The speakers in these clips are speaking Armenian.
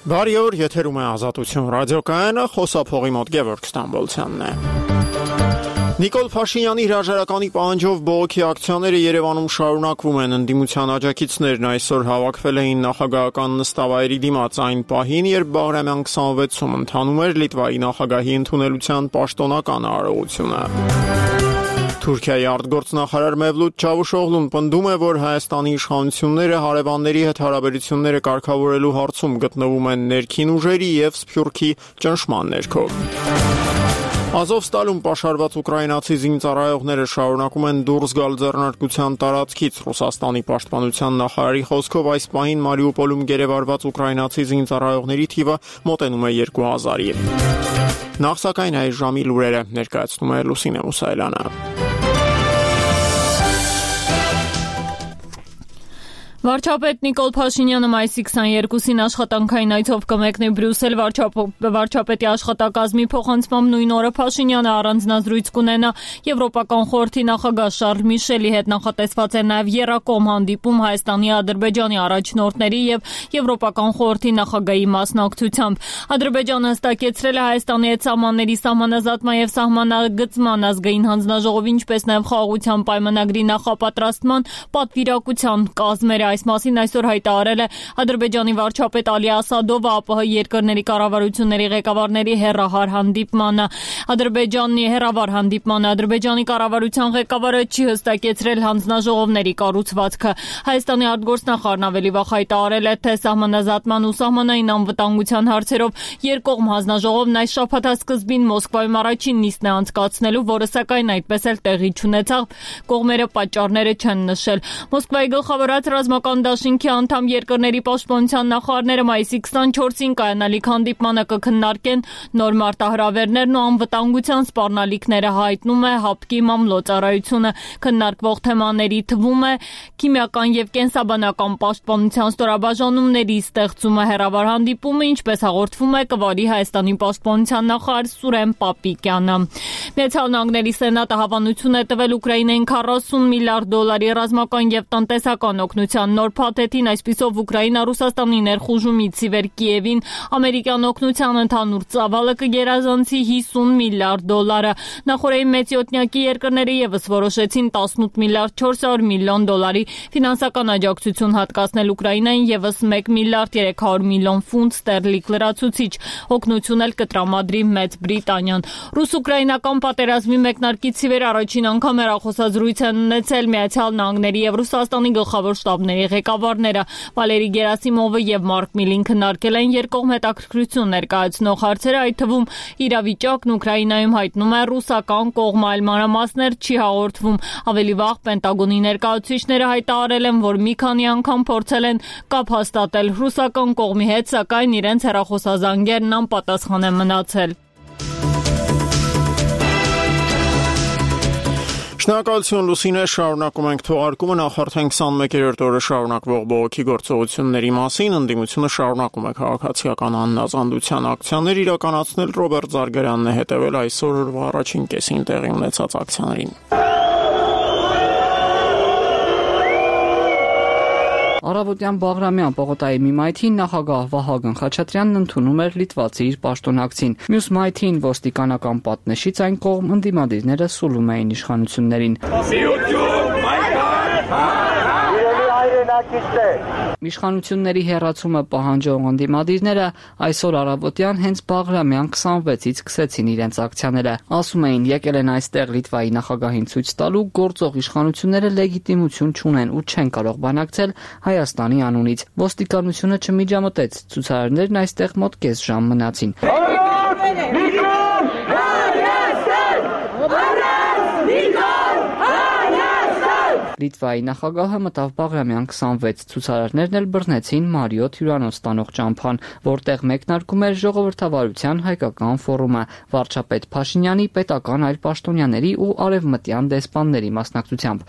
Բարի օր, եթերում է Ազատություն ռադիոկայանը, խոսափողի մոտ Գևորգ Ստամբոլցյանն է։ Նիկոլ Փաշինյանի հրաժարականի պահանջով բողոքի ակցիաները Երևանում շարունակվում են։ Ընդդիմության աջակիցներն այսօր հավաքվել էին նախագահական նստավայրի դիմաց այն պահին, երբ Բաղրամյան 26-ում ընթանում էր Լիտվայի նախագահի ընդունելության պաշտոնական արարողությունը։ Թուրքիայի արտգործնախարար Մևլութ Չավուշօղլուն պնդում է, որ Հայաստանի իշխանությունները հարևանների հետ հարաբերությունները կարգավորելու հարցում գտնվում են ներքին ուժերի եւ Սփյուռքի ճնշման ներքո։ Ազովստալում պաշարված ուկրաինացի զինծառայողները շարունակում են դուրս գալ ձեռնարկության տարածքից։ Ռուսաստանի պաշտպանության նախարարի խոսքով այս պահին Մարիուպոլում գերեվարված ուկրաինացի զինծառայողների թիվը մոտենում է 2000-ի։ Նախ սակայն այս ժամի լուրերը ներկայացնում է Լուսինե Մուսայելյանը։ Վարչապետ Նիկոլ Փաշինյանը մայիսի 22-ին աշխատանքային այցով կմեկնի Բրյուսել։ Վարչապետի աշխատակազմի փոխանցմամբ նույն օրը Փաշինյանը առանձնազրույց կունենա Եվրոպական խորհրդի նախագահ Շարլ Միշելի հետ։ Նախատեսված է նաև եռակողմ հանդիպում Հայաստանի, Ադրբեջանի առաջնորդների եւ Եվրոպական խորհրդի նախագահի մասնակցությամբ։ Ադրբեջանը հստակեցրել է Հայաստանի հետ սահմանների սահմանազատման եւ սահմանագծման ազգային հանձնաժողովի, ինչպես նաև խաղաղության պայմանագրի նախապատրաստման պատվիրակության կազմերը։ Այս մասին այսօր հայտարարել է Ադրբեջանի վարչապետ Ալի Ասադովը ԱՊՀ երկրների կառավարությունների ղեկավարների հեռահար հանդիպմանը։ Ադրբեջանի կառավարության ղեկավարը չի հստակեցրել հանձնաժողովների կառուցվածքը։ Հայաստանի արտգործնախարարն ավելի վաղ հայտարարել է, թե սահմանազատման ու սահմանային անվտանգության հարցերով երկկողմ հանձնաժողովն այս շաբաթասկզբին Մոսկվայում առաջին նիստն է անցկացնելու, որը սակայն այդպես էլ տեղի չունեցավ։ Կողմերը պատճառները չեն նշել։ Մոսկվայի գլխավորած ռազմական դաշինքի անդամ երկրների պաշտպանության նախարարները մայիսի 24-ին կայանալիք հանդիպմանը կքննարկեն նոր մարտահրավերներն ու անվտանգության սպառնալիքները, հայտնում է ՀԱՊԿ-ի մամլոյցարայությունը։ Քննարկվող թեմաների թվում է քիմիական եւ կենսաբանական պաշտպանության ստորաբաժանումների ստեղծումը։ Հեռավար հանդիպումը, ինչպես հաղորդվում է, կվարի Հայաստանի պաշտպանության նախարար Սուրեն Պապիկյանը։ Միացյալ Նահանգների Սենատը հավանություն է տվել Ուկրաինային $40 միլիարդ ռազմական եւ տնտեսական օգնության նոր փաթեթին, այսպիսով Ուկրաինա Ռուսաստանի ներխուժումից ի վեր Կիևին ամերիկյան օգնության ընդհանուր ծավալը կգերազանցի $50 միլիարդ։ Նախորդային մեծյոթնյակի երկրները եւս որոշեցին $18 միլիարդ 400 միլիոն ֆինանսական աջակցություն հատկացնել Ուկրաինային, եւս $1 միլիարդ 300 միլիոն ֆունտ ստերլինգ լրացուցիչ օգնություն էլ կտրամադրի Մեծ Բրիտանիան։ Ռուս-ուկրաինական պատերազմի մեկնարկից ի վեր առաջին անգամ հեռախոսազրույց են ունեցել Միացյալ Նահանգների եւ Ռուսաստանի գլխավոր շտաբների ղեկավարները։ Վալերի Գերասիմովը եւ Մարկ Միլին քննարկել են երկկողմ հետաքրքրություն ներկայացնող հարցերը, այդ թվում իրավիճակն Ուկրաինայում, հայտնում է ռուսական կողմը, այլ մանրամասներ չի հաղորդվում։ Ավելի վաղ Պենտագոնի ներկայացուցիչները հայտարարել են, որ մի քանի անգամ փորձել են կապ հաստատել ռուսական կողմի հետ, սակայն իրենց հեռախոսազանգերն անպատասխան են մնացել։ Շնորհակալություն Լուսինե, շարունակում ենք թողարկումը, նախ արդեն 21-րդ օրը շարունակվող բողոքի գործողությունների մասին։ Ընդդիմությունը շարունակում է քաղաքացիական աննազանդության ակցիաներ իրականացնել։ Ռոբերտ Զարգարյանն է հետևել այսօր առաջին կեսին տեղի ունեցած ակցիաներին։ Առավոտյան Բաղրամյան պողոտայի մի մայթին նախագահ Վահագն Խաչատրյանն ընդունում էր լիտվացի իր պաշտոնակցին։ Մյուս մայթին ոստիկանական պատնեշից այն կողմ ընդդիմադիրները սուլում էին իշխանություններին։ Իշխանությունների հեռացումը պահանջող ընդդիմադիրները այսօր առավոտյան հենց Բաղրամյան 26-ից սկսեցին իրենց ակցիաները։ Ասում էին, եկել են այստեղ Լիտվայի նախագահին ցույց տալու գործող իշխանությունները լեգիտիմություն չունեն ու չեն կարող բանակցել Հայաստանի անունից։ Ոստիկանությունը չմիջամտեց, ցուցարարներն այստեղ մոտ կես ժամ մնացին։ Լիտվայի նախագահը մտավ Բաղրամյան 26, ցուցարարներն էլ բռնեցին Մարիոթ հյուրանոց տանող ճամփան, որտեղ մեկնարկում էր ժողովրդավարության հայկական ֆորումը վարչապետ Փաշինյանի, պետական այլ պաշտոնյաների ու արևմտյան դեսպանների մասնակցությամբ։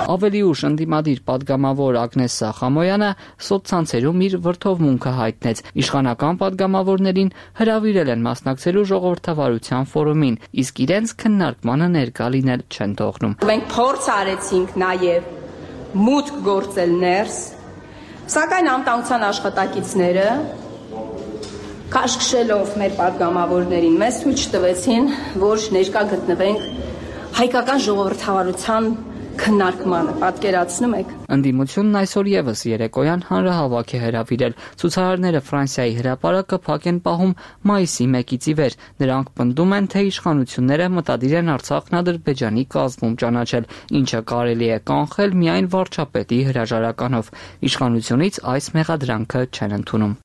Ավելի ուշ ընդդիմադիր պատգամավոր Ագնես Սախամոյանը սոցցանցերում իր վրդովմունքը հայտնեց։ Իշխանական պատգամավորներին հրավիրել են մասնակցելու ժողովրդավարության ֆորումին, իսկ իրենց քննարկմանը ներկա լինել չեն թողնում։ Մենք փորձ արեցինք նաև մուտք գործել ներս, սակայն անվտանգության աշխատակիցները քաշքշելով մեր պատգամավորներին մեզ ցույց տվեցին, որ ներկա գտնվենք հայկական ժողովրդավարության քննարկմանը, պատկերացնում եք։ Ընդդիմությունն այսօր եւս երեկոյան հանրահավաք է հրավիրել։ Ցուցարարները Ֆրանսիայի հրապարակը փակ են պահում մայիսի 1-ից ի վեր։ Նրանք պնդում են, թե իշխանությունները մտադիր են Արցախն Ադրբեջանի կազմում ճանաչել, ինչը կարելի է կանխել միայն վարչապետի հրաժարականով։ Իշխանությունից այս մեղադրանքը չեն ընդունում։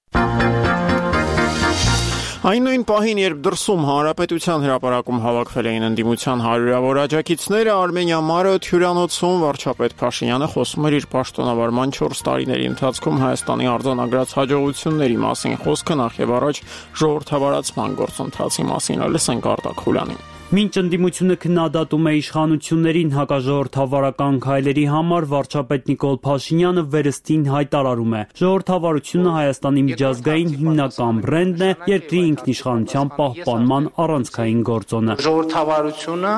Այն նույն պահին, երբ դրսում Հանրապետության հրապարակում հավաքվել էին ընդդիմության հարյուրավոր աջակիցները, Արմենիա-Մարը հյուրանոցում վարչապետ Փաշինյանը խոսում էր իր պաշտոնավարման 4 տարիների ընթացքում Հայաստանի արձանագրած հաջողությունների մասին, խոսքը նախ եւ առաջ ժողովրդավարացման գործընթացի մասին է, լսենք Արտակ Խուլյանին։ Մինչ ընդդիմությունը քննադատում է իշխանություններին հակաժողովրդավարական քայլերի համար, վարչապետ Նիկոլ Փաշինյանը վերստին հայտարարում է. ժողովրդավարությունը Հայաստանի միջազգային հիմնական բրենդն է, երկրի ինքնիշխանության պահպանման առանցքային գործոնը։ Ժողովրդավարությունը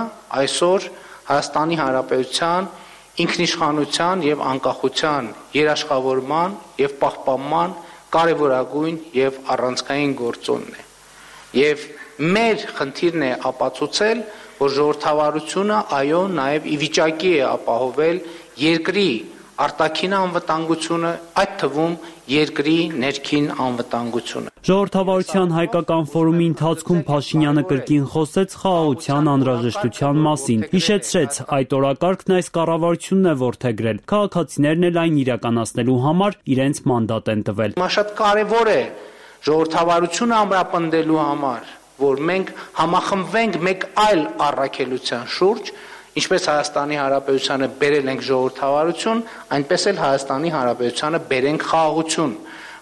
այսօր Հայաստանի Հանրապետության ինքնիշխանության եւ անկախության երաշխավորման եւ պահպանման կարևորագույն եւ առանցքային գործոնն է։ Եվ մեր խնդիրն է ապացուցել, որ ժողովրդավարությունը այո նաև ի վիճակի է ապահովել երկրի արտաքին անվտանգությունը, այդ թվում երկրի ներքին անվտանգությունը։ Ժողովրդավարության հայկական ֆորումի ընթացքում Փաշինյանը կրկին խոսեց խաղաղության անհրաժեշտության մասին։ Հիշեցրեց, այդ օրակարգն այս կառավարությունն է որդեգրել։ Քաղաքացիներն էլ այն իրականացնելու համար իրենց մանդատ են տվել։ Հիմա շատ կարևոր է ժողովրդավարությունը ամրապնդելու համար, որ մենք համախմբվենք մեկ այլ առաքելության շուրջ, ինչպես Հայաստանի Հանրապետությանը բերել ենք ժողովրդավարություն, այնպես էլ Հայաստանի Հանրապետությանը բերենք խաղաղություն,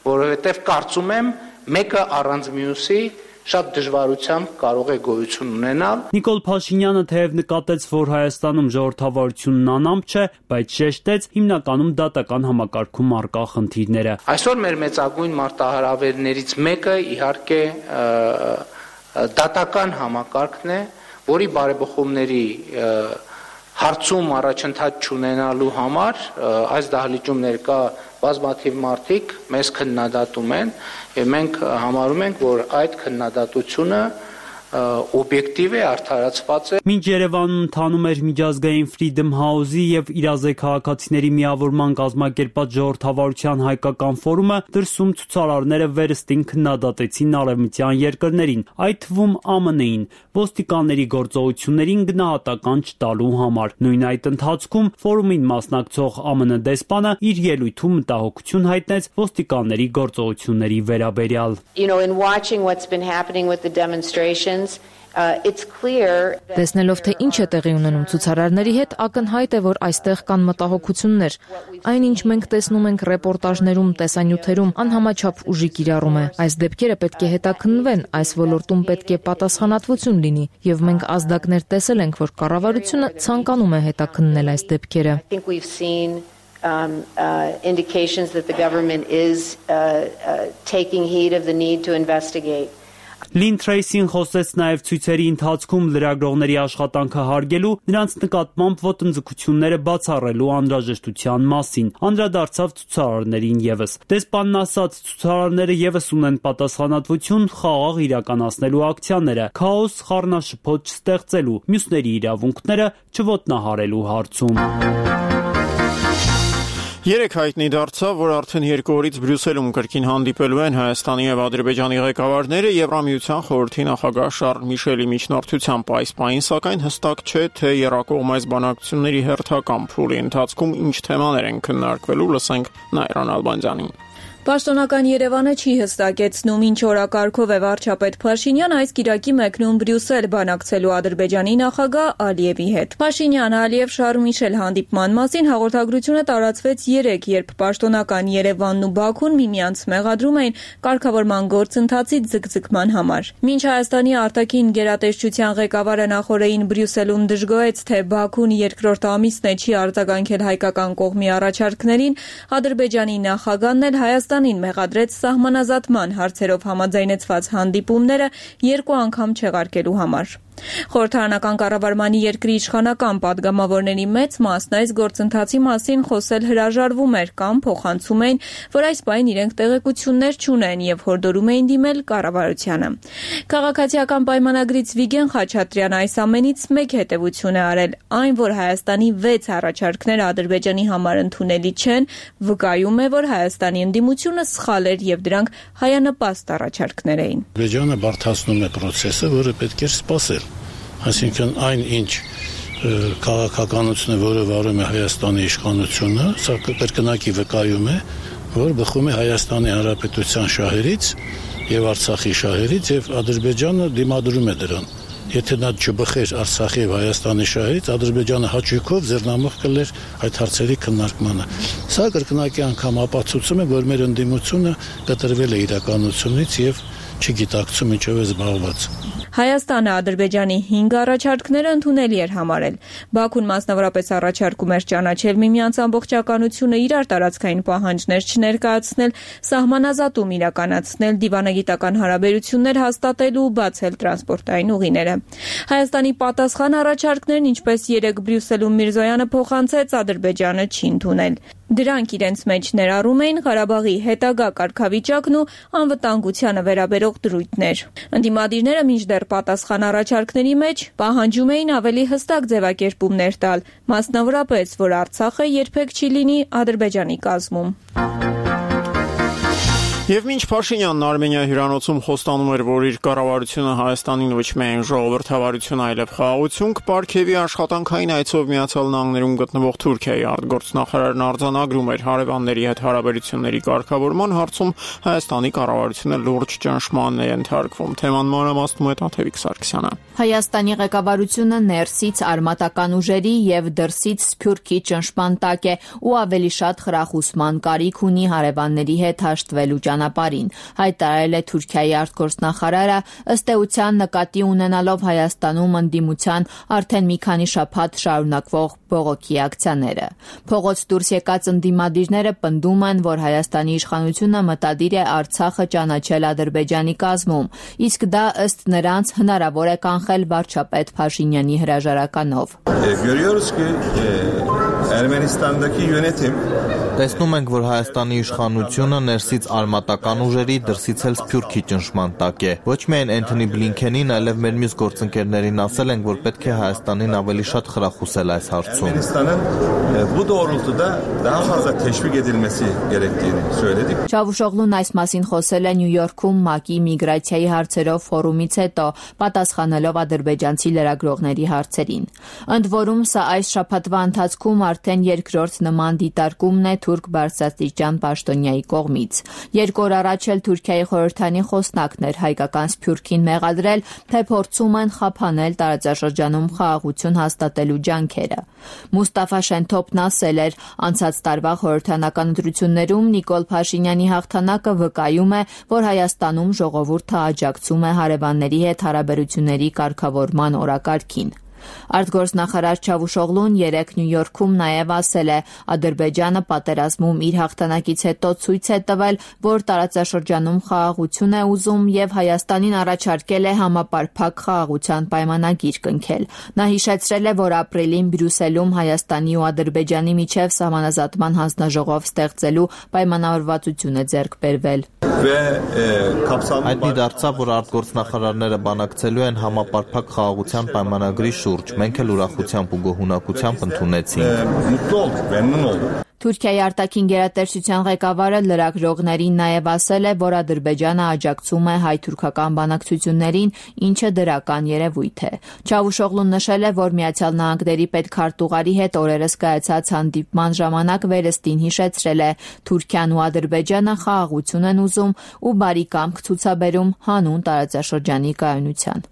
որովհետև կարծում եմ մեկը առանց մյուսի շատ դժվարությամբ կարող է գոյություն ունենալ։ Նիկոլ Փաշինյանը թեև նկատեց, որ Հայաստանում ժողովրդավարությունն անամպ չէ, բայց շեշտեց հիմնականում դատական համակարգում առկա խնդիրները։ Այսօր մեր մեծագույն մարտահրավերներից մեկը իհարկե դատական համակարգն է, որի բարեփոխումների հարցում առաջընթաց չունենալու համար այս դահլիճում ներկա բազմաթիվ մարդիկ մեզ քննադատում են եւ մենք համարում ենք, որ այդ քննադատությունը օբյեկտիվ է, արդարացված է։ Մինչ Երևանում ընթանում էր միջազգային Freedom House-ի եւ իրազեկ քաղաքացիների միավորման կազմակերպած ժողովրդավարության հայկական ֆորումը, դրսում ցուցարարները վերստին քննադատեցին արևմտյան երկրներին, այդ թվում ԱՄՆ-ին, ոստիկանների գործողություններին գնահատական չտալու համար։ Նույն այդ ընթացքում ֆորումին մասնակցող ԱՄՆ դեսպանը իր ելույթում մտահոգություն հայտնեց ոստիկանների գործողությունների վերաբերյալ։ In watching what's been happening with the demonstrations, it's clear that Տեսնելով թե ինչ է տեղի ունենում ցուցարարների հետ, ակնհայտ է, որ այստեղ կան մտահոգություններ։ Այնինչ մենք տեսնում ենք ռեպորտաժներում, տեսանյութերում, անհամաչափ ուժի կիրառում է։ Այս դեպքերը պետք է հետաքննվեն, այս ոլորտում պետք է պատասխանատվություն լինի, եւ մենք ազդակներ տեսել ենք, որ կառավարությունը ցանկանում է հետաքննել այս դեպքերը։ I think we've seen indications that the government is taking heed of the need to investigate. Լին Թրեյսին խոսեց նաև ցույցերի ընթացքում լրագրողների աշխատանքը հարգելու, նրանց նկատմամբ ոտնձգությունները բացառելու անհրաժեշտության մասին, անդրադարձավ ցուցարարներին եւս։ Դեսպանն ասաց, ցուցարարները եւս ունեն պատասխանատվություն խաղաղ իրականացնելու ակցիաները, քաոս խառնաշփոթ չստեղծելու, մյուսների իրավունքները չոտնահարելու հարցում։ Երեք հայտնի դարձավ, որ արդեն 2 օրից Բրյուսելում կրկին հանդիպելու են Հայաստանի եւ Ադրբեջանի ղեկավարները Եվրամիության խորհրդի նախագահ Շարլ Միշելի միջնորդությամբ այս պահին, սակայն հստակ չէ, թե եռակողմ այս բանակցությունների հերթական փուլի ընթացքում ինչ թեմաներ են քննարկվելու, լսենք Նայրան Ալբանդյանին։ Պաշտոնական Երևանը չի հստակեցնում, ինչ օրակարգով է վարչապետ Փաշինյանը այս կիրակի մեկնում Բրյուսել բանակցելու Ադրբեջանի նախագահ Ալիևի հետ։ Փաշինյան, Ալիև, Շարլ Միշել հանդիպման մասին հաղորդագրությունը տարածվեց 3, երբ պաշտոնական Երևանն ու Բաքուն միմյանց մեղադրում էին կարգավորման գործընթացի ձգձգման համար։ Մինչ Հայաստանի արտաքին գերատեսչության ղեկավարը նախորդին Բրյուսելում դժգոհեց, թե Բաքուն երկրորդ ամիսն է չի արձագանքել հայկական կողմի առաջարկներին, Ադրբեջանի նախագահն էլ Հայաստանին մեղադրեց սահմանազատման հարցերով համաձայնեցված հանդիպումները 2 անգամ չեղարկելու համար։ Խորհրդարանական կառավարմանի երկրի իշխանական падգամավորների մեծ մասն այս գործընթացի մասին խոսել հրաժարվում էր կամ փոխանցում էին, որ այս պահին իրենք տեղեկություններ չունեն եւ հորդորում էին դիմել կառավարությանը։ Քաղաքացիական պայմանագրից Վիգեն Խաչատրյանը այս ամենից մեկ հետևություն է արել, այն, որ Հայաստանի 6 առաջարկները Ադրբեջանի համար ընդունելի չեն, վկայում է, որ Հայաստանի ընդդիմությունը սխալ էր եւ դրանք հայանպաստ առաջարկներ էին։ Ադրբեջանը բարդացնում է process-ը, որը պետք է սպասել։ Այսինքն այն ինչ քաղաքականությունը, որը վարում է Հայաստանի իշխանությունը, սա կրկնակի վկայում է, որ բխում է Հայաստանի Հանրապետության շահերից եւ Արցախի շահերից եւ Ադրբեջանը դիմադրում է դրան։ Եթե նա չբխեր Արցախի եւ Հայաստանի շահերից, Ադրբեջանը հաճույքով ձեռնամուխ կլեր այդ հարցերի քննարկմանը։ Սա կրկնակի անգամ ապացուցում է, որ մեր ընդդիմությունը կտրվել է իրականությունից եւ չգիտակցում ինչով է զբաղված։ Հայաստանը Ադրբեջանի 5 առաջարկները ընդունելի էր համարել։ Բաքուն մասնավորապես առաջարկում էր ճանաչել միմյանց ամբողջականությունը, իրար տարածքային պահանջներ չներկայացնել, սահմանազատում իրականացնել, դիվանագիտական հարաբերություններ հաստատել ու բացել տրանսպորտային ուղիները։ Հայաստանի պատասխան առաջարկներն, ինչպես երեք Բրյուսելում Միրզոյանը փոխանցեց, Ադրբեջանը չի ընդունել։ Դրանք իրենց մեջ ներառում էին Ղարաբաղի հետագա կարգավիճակն ու անվտանգությանը վերաբերող դրույթներ։ Ընդդիմադիրները մինչդեռ պատասխան առաջարկների մեջ պահանջում էին ավելի հստակ ձևակերպումներ տալ, մասնավորապես, որ Արցախը երբեք չի լինի Ադրբեջանի կազմում։ Եվ մինչ Փաշինյանն Արմենիա հյուրանոցում խոստանում էր, որ իր կառավարությունը Հայաստանին ոչ միայն ժողովրդավարություն, այլև խաղաղություն կպարգևի, աշխատանքային այցով Միացյալ Նահանգներում գտնվող Թուրքիայի արտգործնախարարն արձանագրում էր հարևանների հետ հարաբերությունների կարգավորման հարցում Հայաստանի կառավարությունը լուրջ ճնշման է ենթարկվում։ Թեման մանրամասնում է Տաթևիկ Սարգսյանը։ Հայաստանի ղեկավարությունը ներսից արմատական ուժերի եւ դրսից Սփյուռքի ճնշման տակ է ու ավելի շատ խրախուսման կարիք ունի հարևանների հետ հաշտվելու ճանապարհին, հայտարարել է Թուրքիայի արտգործնախարարը, ըստ էության նկատի ունենալով Հայաստանում ընդդիմության արդեն մի քանի շաբաթ շարունակվող բողոքի ակցիաները։ Փողոց դուրս եկած ընդդիմադիրները պնդում են, որ Հայաստանի իշխանությունը մտադիր է Արցախը ճանաչել Ադրբեջանի կազմում, իսկ դա ըստ նրանց հնարավոր է կանխել վարչապետ Փաշինյանի հրաժարականով։ Տեսնում ենք, որ Հայաստանի իշխանությունը ներսից արմատական ուժերի, դրսից էլ Սփյուռքի ճնշման տակ է։ Ոչ միայն Էնթոնի Բլինքենին, այլև մեր մյուս գործընկերներին ասել ենք, որ պետք է Հայաստանին ավելի շատ խրախուսել այս հարցում։ Չավուշօղլուն այս մասին խոսել է Նյու Յորքում ՄԱԿ-ի միգրացիայի հարցերով ֆորումից հետո, պատասխանելով ադրբեջանցի լրագրողների հարցերին։ Ընդ որում, սա այս շաբաթվա ընթացքում արդեն երկրորդ նման դիտարկումն է թուրք բարձրաստիճան պաշտոնյայի կողմից։ 2 օր առաջ էլ Թուրքիայի խորհրդանի խոսնակն էր հայկական Սփյուռքին մեղադրել, թե փորձում են խափանել տարածաշրջանում խաղաղություն հաստատելու ջանքերը։ Մուստաֆա Շենթոփն ասել էր, անցած տարվա խորհրդանական ընտրություններում Նիկոլ Փաշինյանի հաղթանակը վկայում է, որ Հայաստանում ժողովուրդը աջակցում է հարևանների հետ հարաբերությունների կարգավորման օրակարգին։ Արտգործնախարար Չավուշօղլուն երեկ Նյու Յորքում նաև ասել է, Ադրբեջանը պատերազմում իր հաղթանակից հետո ցույց է տվել, որ տարածաշրջանում խաղաղություն է ուզում եւ Հայաստանին առաջարկել է համապարփակ խաղաղության պայմանագիր կնքել։ Նա հիշեցրել է, որ ապրիլին Բրյուսելում Հայաստանի ու Ադրբեջանի միջև սահմանազատման հանձնաժողով ստեղծելու պայմանավորվածություն է ձեռք բերվել։ Հայտնի դարձավ, որ արտգործնախարարները բանակցելու են համապարփակ խաղաղության պայմանագրի շուրջ, մենք էլ ուրախությամբ ու գոհունակությամբ ընդունեցինք։ Թուրքիայի արտաքին գերատեսչության ղեկավարը լրագրողներին նաև ասել է, որ Ադրբեջանը աջակցում է հայ-թուրքական բանակցություններին, ինչը դրական երևույթ է։ Չավուշօղլուն նշել է, որ Միացյալ Նահանգների պետքարտուղարի հետ օրերս կայացած հանդիպման ժամանակ վերստին հիշեցրել է, Թուրքիան ու Ադրբեջանը խաղաղություն են ուզում ու բարի կամք ցուցաբերում հանուն տարածաշրջանի կայունության։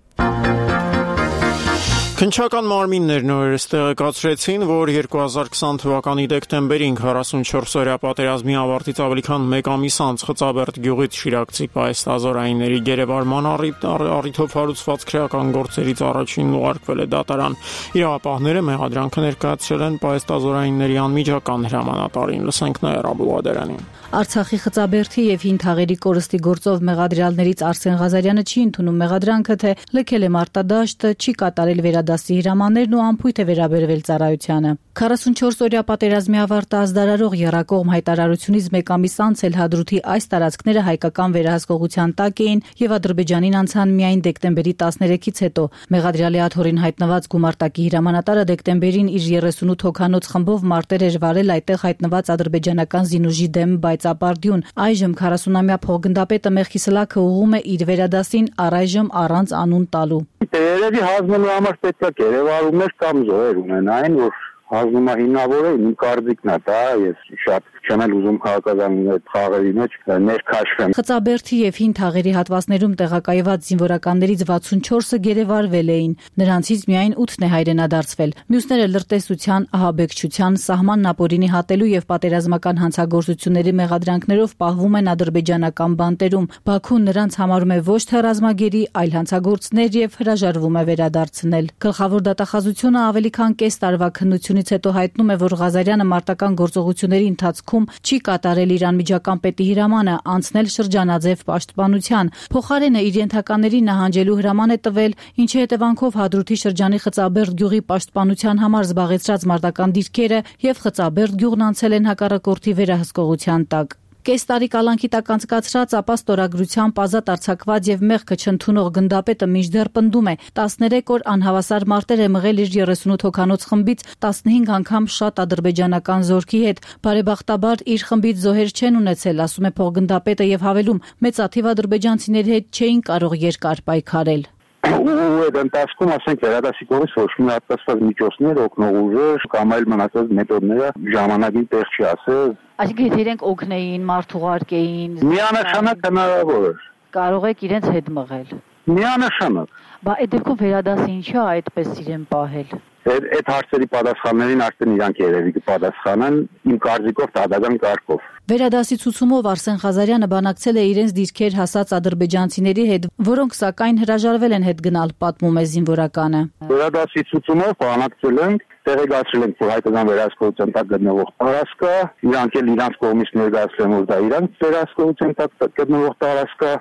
Քննչական մարմիններն օրերս տեղեկացրեցին, որ 2020 թվականի դեկտեմբերին 44-օրյա պատերազմի ավարտից ավելի քան 1 ամիս անց Խծաբերդ գյուղից Շիրակցի պայստազորայինների գերեվարման առիթով հարուցված քրեական գործերից առաջինն ուղարկվել է դատարան։ Իրավապահները մեղադրանքը ներկայացրել են պայստազորայինների անմիջական հրամանատարին։ Լսենք Նաիրա Աբուլղադերանին։ Արցախի Խծաբերդի եւ Հին Թաղերի կորստի գործով մեղադրյալներից Արսեն Ղազարյանը չի ընդունում մեղադրանքը, թե լքել է մարտադաշտը, չի կատարել վերադասի հրամաններն ու անփույթ է վերաբերվել ծառայությանը։ 44-օրյա պատերազմի ավարտը ազդարարող եռակողմ հայտարարությունից 1 ամիս անց էլ Հադրութի այս տարածքները հայկական վերահսկողության տակ էին եւ Ադրբեջանին անցան միայն դեկտեմբերի 13-ից հետո։ Մեղադրյալի աթոռին հայտնված գումարտակի հրամանատարը դեկտեմբերին իր 38 հոգանոց խմբով մարտեր էր վարել այդտեղ հայտնված ադրբեջանական զինուժի դեմ Բայցապարդյուն։ Այժմ 40-ամյա փոխգնդապետը Մեխիսլաքը ուղում է իր վերադասին առայժմ առանց անուն տալու։ Երևի հանձնելու համար պետք է գերեվարումներ կամ զոհեր ունենային, որ հանձնումը հիմնավոր է, իմ կարծիքն է դա, ես շատ չեմ ուզում քաղաքական խաղերի մեջ ներքաշվեմ։ Խծաբերդի եւ Հին Թաղերի հատվածներում տեղակայված զինվորականներից 64-ը գերեվարվել էին, նրանցից միայն 8-ն է հայրենադարձվել։ Մյուսները լրտեսության, ահաբեկչության, սահմանն ապօրինի հատելու եւ պատերազմական հանցագործությունների մեղադրանքներով պահվում են ադրբեջանական բանտերում։ Բաքուն նրանց համարում է ոչ թե ռազմագերի, այլ հանցագործներ եւ հրաժարվում է վերադարձնել։ Գլխավոր դատախազությունը ավելի քան կես տարվա քննությունից հետո հայտնում է, որ Ղազարյանը մարտական գործողությունների ընթացքում չի կատարել իր անմիջական պետի հրամանը անցնել շրջանաձև պաշտպանության։ Փոխարենը իր ենթականերին նահանջելու հրաման է տվել, ինչի հետևանքով Հադրութի շրջանի Խծաբերդ գյուղի պաշտպանության համար զբաղեցրած մարտական դիրքերը եւ Խծաբերդ գյուղն անցել են հակառակորդի վերահսկողության տակ։ Կես տարի կալանքի տակ անցկացրած, ապա ստորագրությամբ ազատ արձակված եւ մեղքը չընդունող գնդապետը մինչդեռ պնդում է 13 օր անհավասար մարտեր է մղել իր 38 հոգանոց խմբից 15 անգամ շատ ադրբեջանական զորքի հետ։ Բարեբախտաբար իր խմբից զոհեր չեն ունեցել, ասում է փոխգնդապետը եւ հավելում, մեծաթիվ ադրբեջանցիների հետ չէին կարող երկար պայքարել։ Ու այդ ընթացքում ասենք վերադասի կողմից ոչ մի հատկացված միջոցներ, օգնող ուժեր կամ այլ մնացած մեթոդները ժամանակին տեղ չի ասել։ Այսինքն եթե իրենք օգնեին, մարդ ուղարկեին, միանշանակ հնարավոր է։ Կարող եք իրենց հետ մղել։ Միանշանակ։ Բա այդ դեպքում վերադասը ինչի է այդպես իրեն պահել։ Այդ հարցերի պատասխաններին արդեն իրանք երևի կպատասխանեն իմ կարծիքով դատական կարգով։ Վերադասի ցուցումով Արսեն Ղազարյանը բանակցել է իրենց դիրքեր հասած ադրբեջանցիների հետ, որոնք սակայն հրաժարվել են հետ գնալ, պատմում է զինվորականը։ Վերադասի ցուցումով բանակցել ենք, տեղեկացրել ենք, որ հայկական վերահսկողության տակ գտնվող տարածք է, իրանք էլ իրանք կողմից ներկայացրել են, որ դա իրանք վերահսկողության տակ գտնվող տարածք է։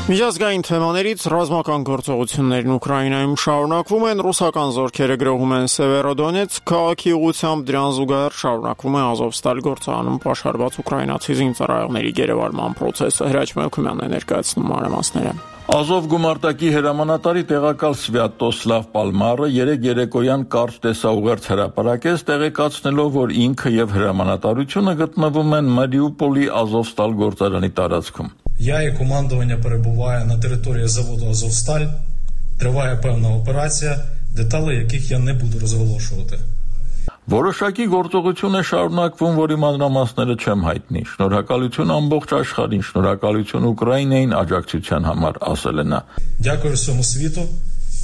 Միջազգային թեմաներից ռազմական գործողություններն Ուկրաինայում շարունակվում են, ռուսական զորքերը գրոհում են Սևերոդոնեցկ քաղաքի ուղղությամբ, դրան զուգահեռ շարունակվում է Ազովստալ գործարանում պաշարված ուկրաինացի զինծառայողների գերեվարման process-ը։ Հրաչ Մելքումյանն է ներկայացնում մանրամասները։ Ազով գումարտակի հրամանատարի տեղակալ Սվյատոսլավ Պալմարը երեկոյան կարճ տեսաուղերձ հրապարակեց, տեղեկացնելով, որ ինքը եւ հրամանատարությունը գտնվում են Մարիուպոլի Ազովստալ գործարանի տարածքում։ Я і командування перебуває на території заводу «Азовсталь». Триває певна операція, деталі яких я не буду розголошувати. Որոշակի գործողություն է շարունակվում, որի մանրամասները չեմ հայտնի։ Շնորհակալություն ամբողջ աշխարհին, շնորհակալություն Ուկրաինային աջակցության համար, ասել է նա։ Дякую всьому світу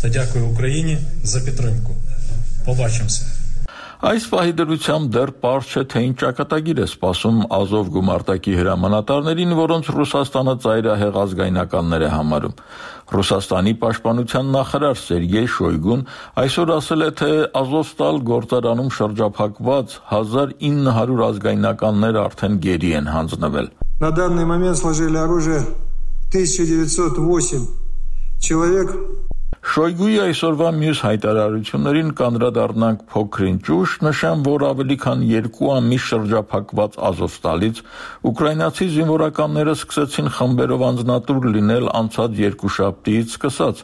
та дякую Україні за підтримку. Побачимося. Այս պահի դրությամբ դեռ պարզ չէ, թե ինչ ճակատագիր է սպասում Ազով գումարտակի հրամանատարներին, որոնց Ռուսաստանը ծայրահեղ ազգայնականներ է համարում։ Ռուսաստանի պաշտպանության նախարար Սերգեյ Շոյգուն այսօր ասել է, թե Ազովստալ գործարանում շրջափակված 1900 ազգայնականներ արդեն գերի են հանձնվել։ На данный момент сложили оружие 1908 человек. Շոյգուի այսօրվա մյուս հայտարարություններին կանդրադառնանք փոքրին ճուշ, նշեմ, որ ավելի քան 2 ամիս շրջափակված Ազովստալից ուկրաինացի զինվորականները սկսեցին խմբերով անձնատուր լինել անցած երկուշաբթիից սկսած։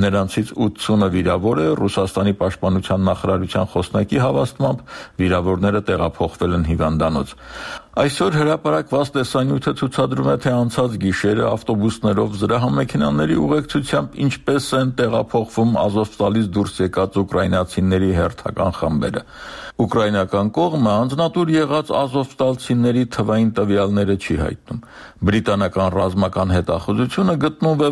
Նրանցից 80-ը վիրավոր է, Ռուսաստանի պաշտպանության նախարարության խոսնակի հավաստմամբ վիրավորները տեղափոխվել են հիվանդանոց։ Այսօր հրապարակված տեսանյութը ցուցադրում է, թե անցած գիշերը ավտոբուսներով զրահամեքենաների ուղեկցությամբ ինչպես են տեղափոխվում Ազովստալից դուրս եկած ուկրաինացիների հերթական խմբերը։ Ուկրաինական կողմը անձնատուր եղած ազովստալցիների թվային տվյալները չի հայտնում։ Բրիտանական ռազմական հետախուզությունը գտնվում է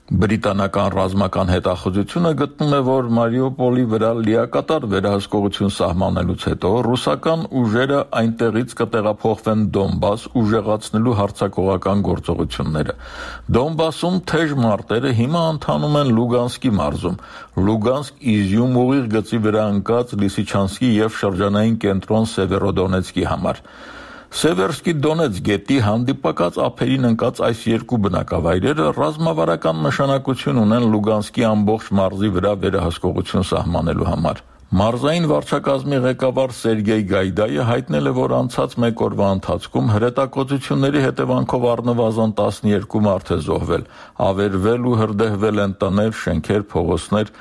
Բրիտանական ռազմական հետախուզությունը գտնում է, որ Մարիուպոլի վրա լիակատար վերահսկողություն սահմանելուց հետո ռուսական ուժերը այնտեղից կտեղափոխվեն Դոնբաս ուժեղացնելու հարձակողական գործողությունները։ Դոնբասում թեժ մարտերը հիմա ընթանում են Լուգանսկի մարզում, Լուգանսկ-Իզյում ուղիղ գծի վրա ընկած Լիսիչանսկի և շրջանային կենտրոն Սևերոդոնեցկի համար։ Սևերսկի Դոնեց գետի հանդիպակաց ափերին ընկած այս երկու բնակավայրերը ռազմավարական նշանակություն ունեն Լուգանսկի ամբողջ մարզի վրա վերահսկողություն սահմանելու համար։ Մարզային վարչակազմի ղեկավար Սերգեյ Գայդայը հայտնել է, որ անցած մեկ օրվա ընթացքում հրետակոծությունների հետևանքով առնվազն 12 մարդ է զոհվել, ավերվել ու հրդեհվել են տներ, շենքեր, փողոցներ։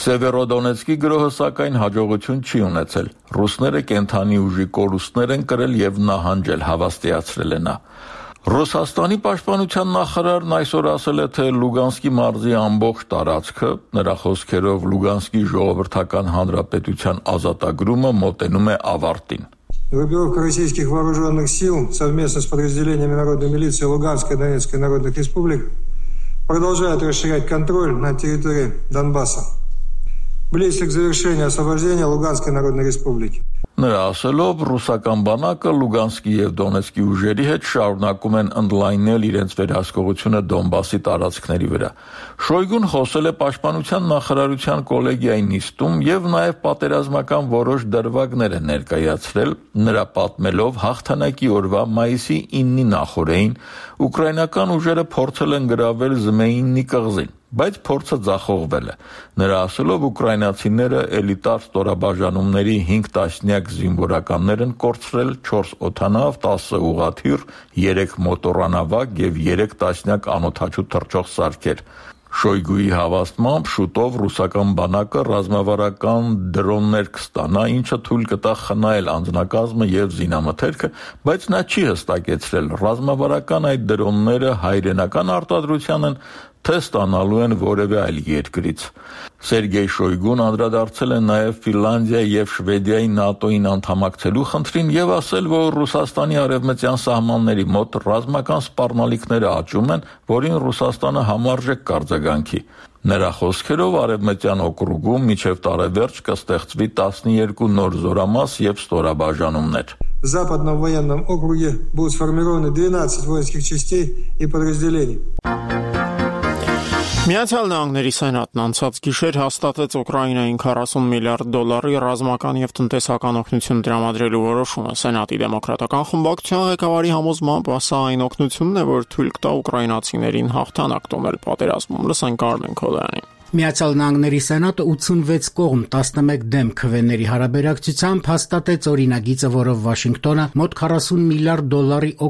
Սևերոդոնեցկի գրոհը սակայն հաջողություն չի ունեցել։ Ռուսները կենդանի ուժի կորուստներ են կրել և նահանջել, հավաստիացրել է նա։ Ռուսաստանի պաշտպանության նախարարն այսօր ասել է, թե Լուգանսկի մարզի ամբողջ տարածքը, նրա խոսքերով Լուգանսկի ժողովրդական հանրապետության ազատագրումը մոտենում է ավարտին։ Группировка российских вооруженных сил совместно с подразделениями Народной милиции Луганской и Донецкой народных республик продолжает расширять контроль над территорией Донбасса. Близко к завершению освобождения Луганской народной республики. Նրա ասելով, ռուսական բանակը Լուգանսկի և Դոնեցկի ուժերի հետ շարունակում են ընդլայնել իրենց վերահսկողությունը Դոնբասի տարածքների վրա։ Շոյգուն խոսել է պաշտպանության նախարարության կոլեգիայի նիստում և նաև պատերազմական որոշ դրվագներ է ներկայացրել, նրա պատմելով հաղթանակի օրվա մայիսի 9-ի նախօրեին ուկրաինական ուժերը փորձել են գրավել Զմեյիննի կղզին, բայց փորձը ձախողվել է։ Նրա ասելով, ուկրաինացիները էլիտար ստորաբաժանումների 5 տասնյակ զինվորականներ են կորցրել, 4 օդանավ, 10 ուղղաթիռ, 3 մոտորանավակ և 3 տասնյակ անօդաչու թռչող սարքեր։ Շոյգուի հավաստմամբ շուտով ռուսական բանակը ռազմավարական դրոններ կստանա, ինչը թույլ կտա խնայել անձնակազմը և զինամթերքը, բայց նա չի հստակեցրել ռազմավարական այդ դրոնները հայրենական արտադրության են, թե ստանալու են որևէ այլ երկրից։ Սերգեյ Շոյգուն անդրադարձել է նաև Ֆինլանդիայի և Շվեդիայի ՆԱՏՕ-ին անդամակցելու խնդրին և ասել, որ Ռուսաստանի արևմտյան սահմանների մոտ ռազմական սպառնալիքները աճում են, որին Ռուսաստանը համարժեք կարձագանքի։ Նրա խոսքերով արևմտյան օկրուգում մինչև տարեվերջ կստեղծվի 12 նոր զորամաս և ստորաբաժանումներ։ В Западном военном округе будут сформированы 12 воинских частей и подразделений. Միացյալ Նահանգների Սենատն անցած գիշեր հաստատեց Ուկրաինային $40 միլիարդ ռազմական և տնտեսական օգնություն տրամադրելու որոշումը։ Սենատի դեմոկրատական խմբակցության ղեկավարի համոզմամբ սա այն օգնությունն է, որ թույլ կտա ուկրաինացիներին հաղթանակ տոնել պատերազմում։ Լսենք Արմեն Քոլյանին։ Միացյալ Նահանգների Սենատը 86 կողմ 11 դեմ քվեների հարաբերակցությամբ հաստատեց օրինագիծը, որով Վաշինգտոնը մոտ $40 միլիարդ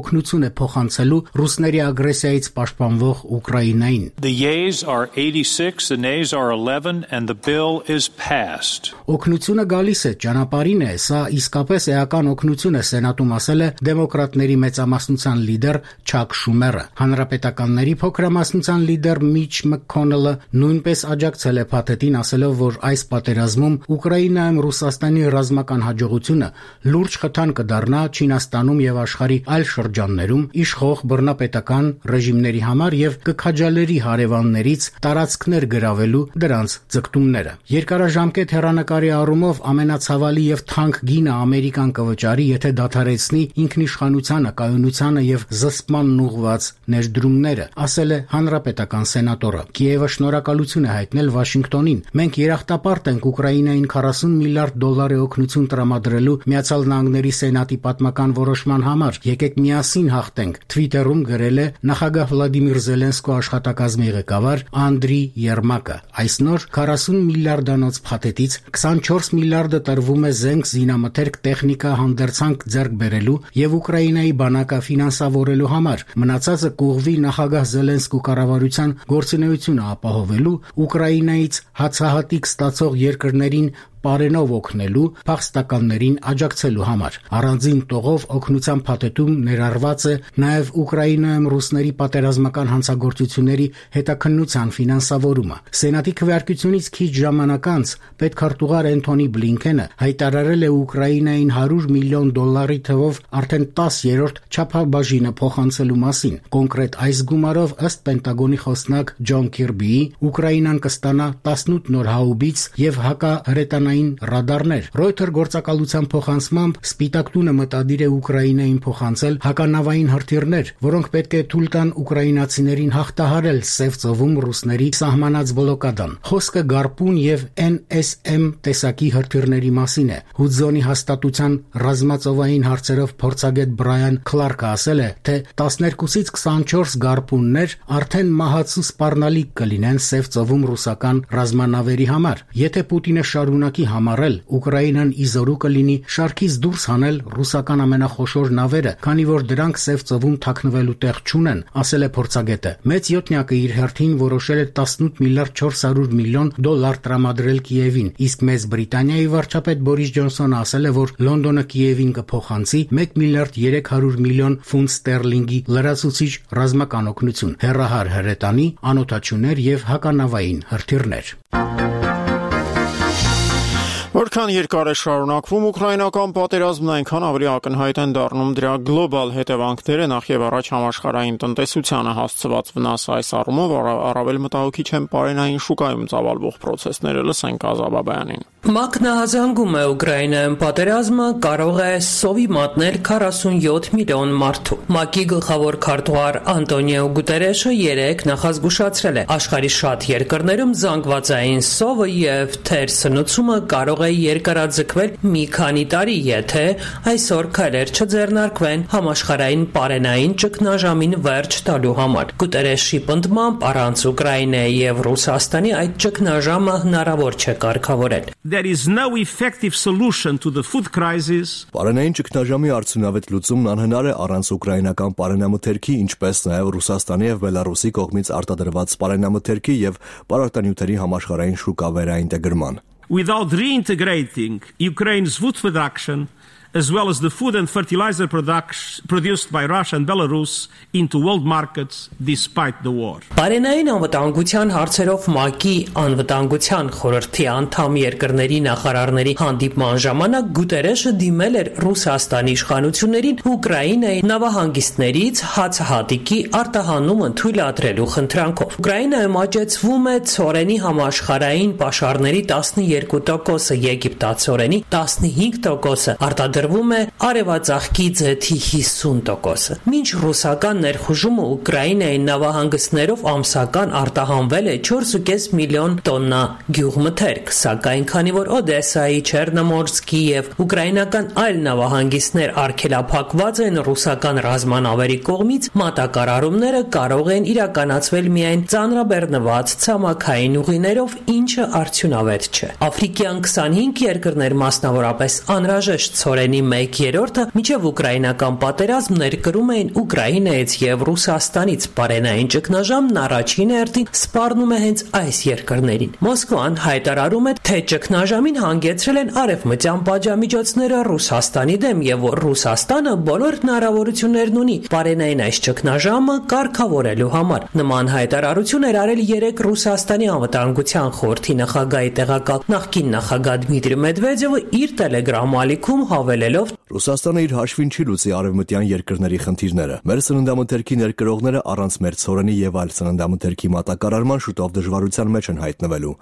օգնություն է փոխանցելու ռուսների ագրեսիայից պաշտպանվող Ուկրաինային։ The yeas are 86, the nays are 11 and the bill is passed. Օգնությունը գալիս է, ճանապարհին է, սա իսկապես էական օգնություն է, Սենատում ասել է դեմոկրատների մեծամասնության լիդեր Չակ Շումերը։ Հանրապետականների փոքրամասնության լիդեր Միչ Մաքքոնելը նույնպես աջակցել է փաթեթին, ասելով, որ այս պատերազմում Ուկրաինայում Ռուսաստանի ռազմական հաջողությունը լուրջ խթան կդառնա Չինաստանում եւ աշխարհի այլ շրջաններում իշխող բռնապետական ռեժիմների համար եւ կքաջալերի հարևաններից տարածքներ գրավելու դրանց ձգտումները։ Երկարաժամկետ հեռանկարի առումով ամենացավալի եւ թանկ գինը Ամերիկան կվճարի, եթե դադարեցնի ինքնիշխանությանը, կայունությանը եւ զսպմանն ուղղված ներդրումները, ասել է հանրապետական սենատորը։ Կիևը շնորհակալություն է հայտնել Վաշինգտոնին։ Մենք երախտապարտ ենք Ուկրաինային $40 միլիարդ օգնություն տրամադրելու Միացյալ Նահանգների Սենատի պատմական որոշման համար։ Եկեք միասին հաղթենք, Twitter-ում գրել է նախագահ Վլադիմիր Զելենսկու աշխատակազմի ղեկավար Անդրի Երմակը։ Այս նոր $40 միլիարդանոց փաթեթից 24 միլիարդը տրվում է զենք, զինամթերք, տեխնիկա, հանդերձանք ձեռք բերելու եւ Ուկրաինայի բանակը ֆինանսավորելու համար։ Մնացածը կուղղվի նախագահ Զելենսկու կառավարության գործունեությունը ապահովելու, Ուկրաինայից հացահատիկ ստացող երկրներին պարենով օգնելու, փախստականներին աջակցելու համար։ Առանձին տողով օգնության փաթեթում ներառված է նաև Ուկրաինայում ռուսների պատերազմական հանցագործությունների հետաքննության ֆինանսավորումը։ Սենատի քվեարկությունից քիչ ժամանակ անց պետքարտուղար Էնթոնի Բլինքենը հայտարարել է Ուկրաինային $100 միլիոն թվով արդեն 10-րդ չափաբաժինը փոխանցելու մասին։ Կոնկրետ այս գումարով, ըստ Պենտագոնի խոսնակ Ջոն Քիրբիի, Ուկրաինան կստանա 18 նոր հաուբից եւ հակահրետանային ռադարներ։ Reuters գործակալության փոխանցմամբ Սպիտակ տունը մտադիր է Ուկրաինային փոխանցել հականավային հրթիռներ, որոնք պետք է թույլ տան ուկրաինացիներին հաղթահարել Սև ծովում ռուսների սահմանած բլոկադան։ Խոսքը Գարպուն եւ NSM տեսակի հրթիռների մասին է։ Հուդզոնի հաստատության ռազմածովային հարցերով փորձագետ Բրայան Քլարկը ասել է, թե 12-ից 24 Գարպուններ արդեն մահացու սպառնալիք կլինեն Սև ծովում ռուսական ռազմանավերի համար։ Եթե Պուտինը շարունակի համառել, Ուկրաինան իզորու կլինի շարքից դուրս հանել ռուսական ամենախոշոր նավերը, քանի որ դրանք Սև ծովում թաքնվելու տեղ չունեն, ասել է փորձագետը։ Մեծ յոթնյակը իր հերթին որոշել է $18 միլիարդ 400 միլիոն տրամադրել Կիևին, իսկ Մեծ Բրիտանիայի վարչապետ Բորիս Ջոնսոնը ասել է, որ Լոնդոնը Կիևին կփոխանցի $1 միլիարդ 300 միլիոն ֆունտ ստերլինգի լրացուցիչ ռազմական օգնություն, հեռահար հրետանի, անօդաչուներ եւ հականավային հրթիռներ։ Որքան երկար է շարունակվում ուկրաինական պատերազմն, այնքան ավելի ակնհայտ են դառնում դրա գլոբալ հետևանքները, նախ եւ առաջ համաշխարհային տնտեսությանը հասցված վնասը։ Այս առումով առավել մտահոգիչ են պարենային շուկայում ծավալվող պրոցեսները։ Լսենք Ազա Բաբայանին։ Մակնահազանգում է Ուկրաինայում պատերազմը կարող է սովի մատնել 47 միլիոն մարդու։ ՄԱԿ-ի գլխավոր քարտուղար Անտոնիո Գուտերեշը երեկ նախազգուշացրել է, աշխարհի շատ երկրներում զանգվածային սովը եւ թեր սնուցումը կարող է երկարաձգվել մի քանի տարի, եթե այսօր քայլեր չձեռնարկվեն համաշխարհային պարենային ճգնաժամին վերջ տալու համար։ Գուտերեշի պնդմամբ առանց Ուկրաինայի եւ Ռուսաստանի այդ ճգնաժամը հնարավոր չէ կարգավորել։ There is no effective solution to the food crisis. Պարենային ճգնաժամի արդյունավետ լուծումն անհնար է առանց ուկրաինական պարենամթերքի, ինչպես նաև Ռուսաստանի եւ Բելարուսի կողմից արտադրված պարենամթերքի եւ պարարտանյութերի համաշխարհային շուկա վերաինտեգրման։ Without reintegrating Ukraine's food production, as well as the food and fertilizer produced by Russia and Belarus into world markets despite the war. Պարենային անվտանգության հարցերով ՄԱԿ-ի անվտանգության խորհրդի անդամ երկրների նախարարների հանդիպման ժամանակ Գուտերեշը դիմել էր Ռուսաստանի իշխանություններին Ուկրաինայի նավահանգիստներից հացահատիկի արտահանումը թույլատրելու խնդրանքով։ Ուկրաինայում աճեցվում է ցորենի համաշխարհային պաշարների 12%-ը, եգիպտացորենի 15%-ը, արտադրվում է արևածաղկի ձեթի 50%-ը։ Մինչ ռուսական ներխուժումը Ուկրաինայի նավահանգիստներով ամսական արտահանվել է 4.5 միլիոն տոննա գյուղմթերք, սակայն քանի որ Օդեսայի, Չեռնոմորսկի եւ ուկրաինական այլ նավահանգիստներ արգելափակված են ռուսական ռազմանավերի կողմից, մատակարարումները կարող են իրականացվել միայն ծանրաբեռնված ցամաքային ուղիներով, ինչը արդյունավետ չէ։ Աֆրիկյան 25 երկրներ, մասնավորապես անհրաժեշտ ցորենի 1/3-ը մինչև ուկրաինական պատերազմ ներկրում էին Ուկրաինայից եւ Ռուսաստանից։ Պարենային ճգնաժամն առաջին հերթին սպառնում է հենց այս երկրներին։ Մոսկվան հայտարարում է, թե ճգնաժամին հանգեցրել են արևմտյան պատժամիջոցները Ռուսաստանի դեմ եւ որ Ռուսաստանը բոլոր հնարավորություններն ունի պարենային այս ճգնաժամը կարգավորելու համար։ Նման հայտարարություն էր արել երեք Ռուսաստանի անվտանգության խորհրդի նախագահի տեղակալ նախկին նախագահ Դմիտրի Մեդվեդևը իր Telegram ալիքում հավելելով. Ռուսաստանը իր հաշվին չի լուծի արևմտյան երկրների խնդիրները։ Մեր սննդամթերքի ներկրողները առանց մեր ցորենի եւ այլ սննդամթերքի մատակարարման շուտով դժվարության մեջ են հայտնվելու,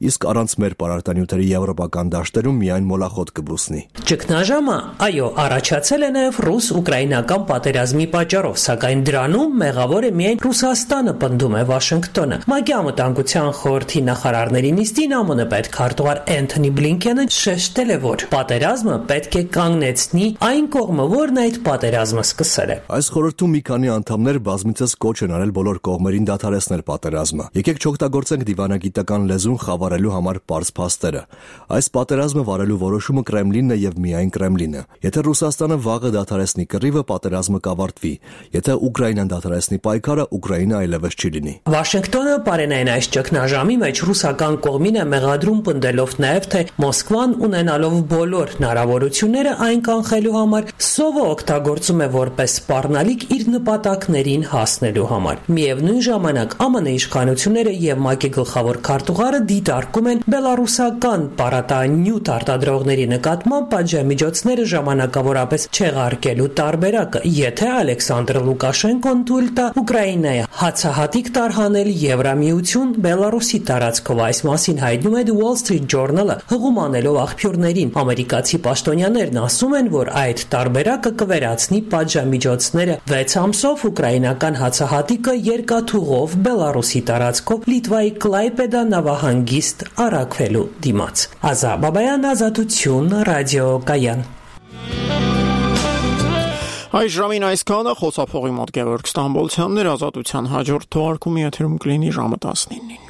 իսկ առանց մեր պարարտանյութերի եվրոպական դաշտերում միայն մոլախոտ կբուսնի։ Ճգնաժամը, այո, առաջացել է նաեւ ռուս-ուկրաինական պատերազմի պատճառով, սակայն դրանում մեղավոր է միայն Ռուսաստանը, պնդում է Վաշինգտոնը։ ՄԱԿ-ի անվտանգության խորհրդի նախարարների նիստին ԱՄՆ պետքարտուղար Էնթոնի Բլինքենը շեշտել է, որ պատերազմը պետք է կանգ կանգնեցնի այն կողմը, որն այդ պատերազմը սկսել է։ Այս խորհրդում մի քանի անդամներ բազմիցս կոչ են արել բոլոր կողմերին դադարեցնել պատերազմը։ Եկեք չօգտագործենք դիվանագիտական լեզուն խավարելու համար պարզ փաստերը։ Այս պատերազմը վարելու որոշումը Կրեմլինն է եւ միայն Կրեմլինը։ Եթե Ռուսաստանը վաղը դադարեցնի կռիվը, պատերազմը կավարտվի։ Եթե Ուկրաինան դադարեցնի պայքարը, Ուկրաինա այլևս չի լինի։ Վաշինգտոնը բարենային այս ճգնաժամի մեջ ռուսական կողմին է մեղադրում պնդելով նաև, թե Մոսկվան ունենալով բոլոր հնարավորությունները այն կանխելու համար սովը օգտագործում է որպես սպառնալիք իր նպատակներին հասնելու համար։ Միևնույն ժամանակ ԱՄՆ իշխանությունները եւ ՄԱԿ-ի գլխավոր քարտուղարը դիտարկում են բելարուսական պարատանյութ արտադրողների նկատմամբ պատժամիջոցները ժամանակավորապես չեղարկելու տարբերակը, եթե Ալեքսանդր Լուկաշենկոն թույլ տա Ուկրաինայի հացահատիկ տարհանել Եվրամիություն Բելարուսի տարածքով։ Այս մասին հայտնում է The Wall Street Journal-ը, հղում անելով աղբյուրներին։ Ամերիկացի պաշտոնյաներն ասում են, որ այդ տարբերակը կվերացնի պատժամիջոցները 6 ամսով ուկրաինական հացահատիկը երկաթուղով Բելարուսի տարածքով Լիտվայի Կլայպեդա նավահանգիստ առաքվելու դիմաց։ Ազա Բաբայան, Ազատություն, ռադիոկայան։ Այս ժամին այսքանը, խոսափողի մոտ Գևորգ Ստամբոլցյանն էր, Ազատության հաջորդ թողարկումի եթերում կլինի ժամը 19-ին։